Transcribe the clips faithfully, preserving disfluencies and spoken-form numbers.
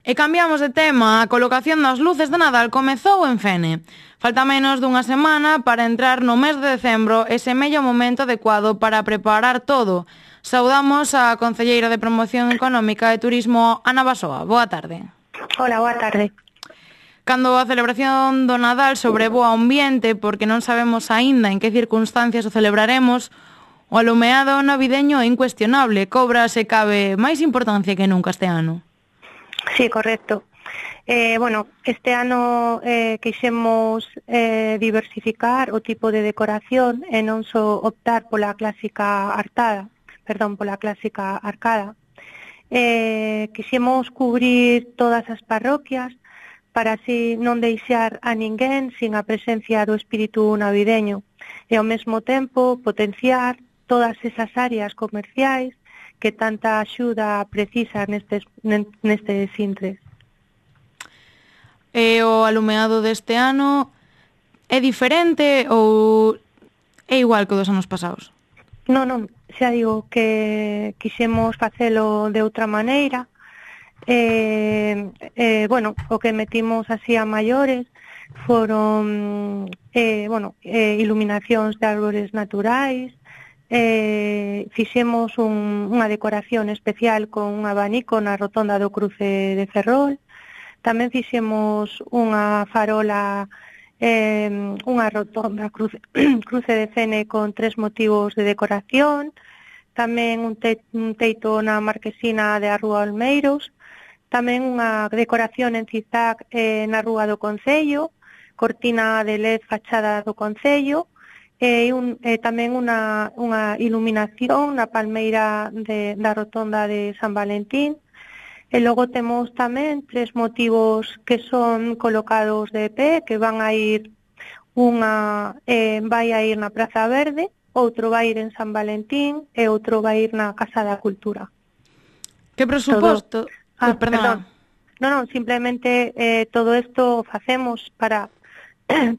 E cambiamos de tema, a colocación das luces de Nadal comezou en Fene. Falta menos dunha semana para entrar no mes de decembro e semella o momento adecuado para preparar todo. Saudamos a concelleira de Promoción Económica e Turismo, Ana Basoa. Boa tarde. Hola, boa tarde. Cando a celebración do Nadal sobrevoa o ambiente porque non sabemos aínda en que circunstancias o celebraremos, o alumeado navideño é incuestionable, cobra se cabe máis importancia que nunca este ano. Sí, correcto. Eh, bueno, este ano eh, quixemos eh, diversificar o tipo de decoración e non só optar pola clásica arcada, perdón, pola clásica arcada. Eh, quixemos cubrir todas as parroquias para así non deixar a ninguén sin a presencia do espírito navideño e ao mesmo tempo potenciar todas esas áreas comerciais que tanta axuda precisa nestes, nestes intres. E o alumeado deste ano é diferente ou é igual que o dos anos pasados? Non, non, xa digo que quixemos facelo de outra maneira. Eh, eh, bueno, o que metimos así a maiores foron eh, bueno, eh, iluminacións de árbores naturais. Eh, fixemos un, unha decoración especial con un abanico na rotonda do cruce de Ferrol. Tamén fixemos unha farola, eh, unha rotonda cruce, cruce de Fene con tres motivos de decoración. Tamén un, te, un teito na marquesina de a Rúa Olmeiros. Tamén unha decoración en zigzag eh, na Rúa do Concello, cortina de L E D fachada do Concello, e un, eh, tamén unha, unha iluminación na palmeira de, da rotonda de San Valentín. E logo temos tamén tres motivos que son colocados de pé, que van a ir, unha eh, vai a ir na Praza Verde, outro vai ir en San Valentín e outro vai ir na Casa da Cultura. Que presuposto? Todo... Ah, oh, perdón. Non, non, simplemente eh, todo isto facemos para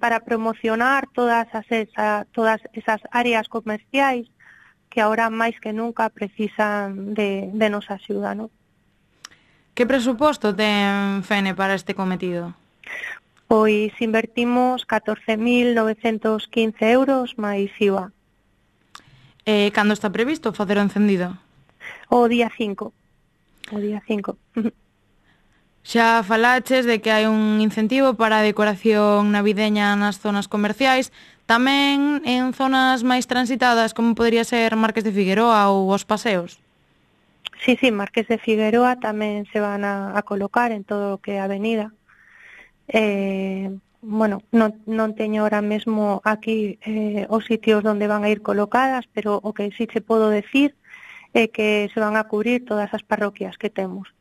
para promocionar todas as esa, todas esas áreas comerciais que ahora máis que nunca precisan de, de nosa axuda, non? Que presuposto ten Fene para este cometido? Pois invertimos catorce mil novecentos quince euros máis I V A. E cando está previsto facer o encendido? O día cinco. O día cinco. Xa falaches de que hai un incentivo para a decoración navideña nas zonas comerciais, tamén en zonas máis transitadas, como podría ser Marques de Figueroa ou os paseos. Sí, sí, Marques de Figueroa tamén se van a, a colocar en todo o que é a avenida. Eh, bueno, non, non teño ahora mesmo aquí eh, os sitios onde van a ir colocadas, pero o que sí che podo decir é que se van a cubrir todas as parroquias que temos.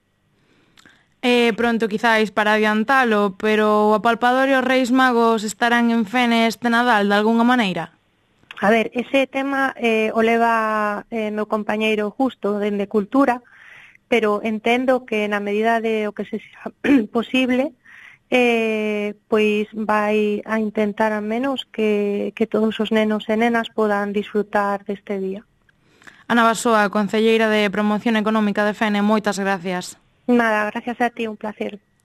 É pronto quizáis para adiantalo, pero o apalpador e os Reis Magos estarán en Fene este Nadal de algunha maneira? A ver, ese tema eh, o leva eh, meu compañeiro Justo dende Cultura, pero entendo que na medida de o que se xa posible, eh, pois vai a intentar a menos que, que todos os nenos e nenas podan disfrutar deste día. Ana Basoa, concelleira de Promoción Económica de Fene, moitas gracias. Nada, gracias a ti, un placer.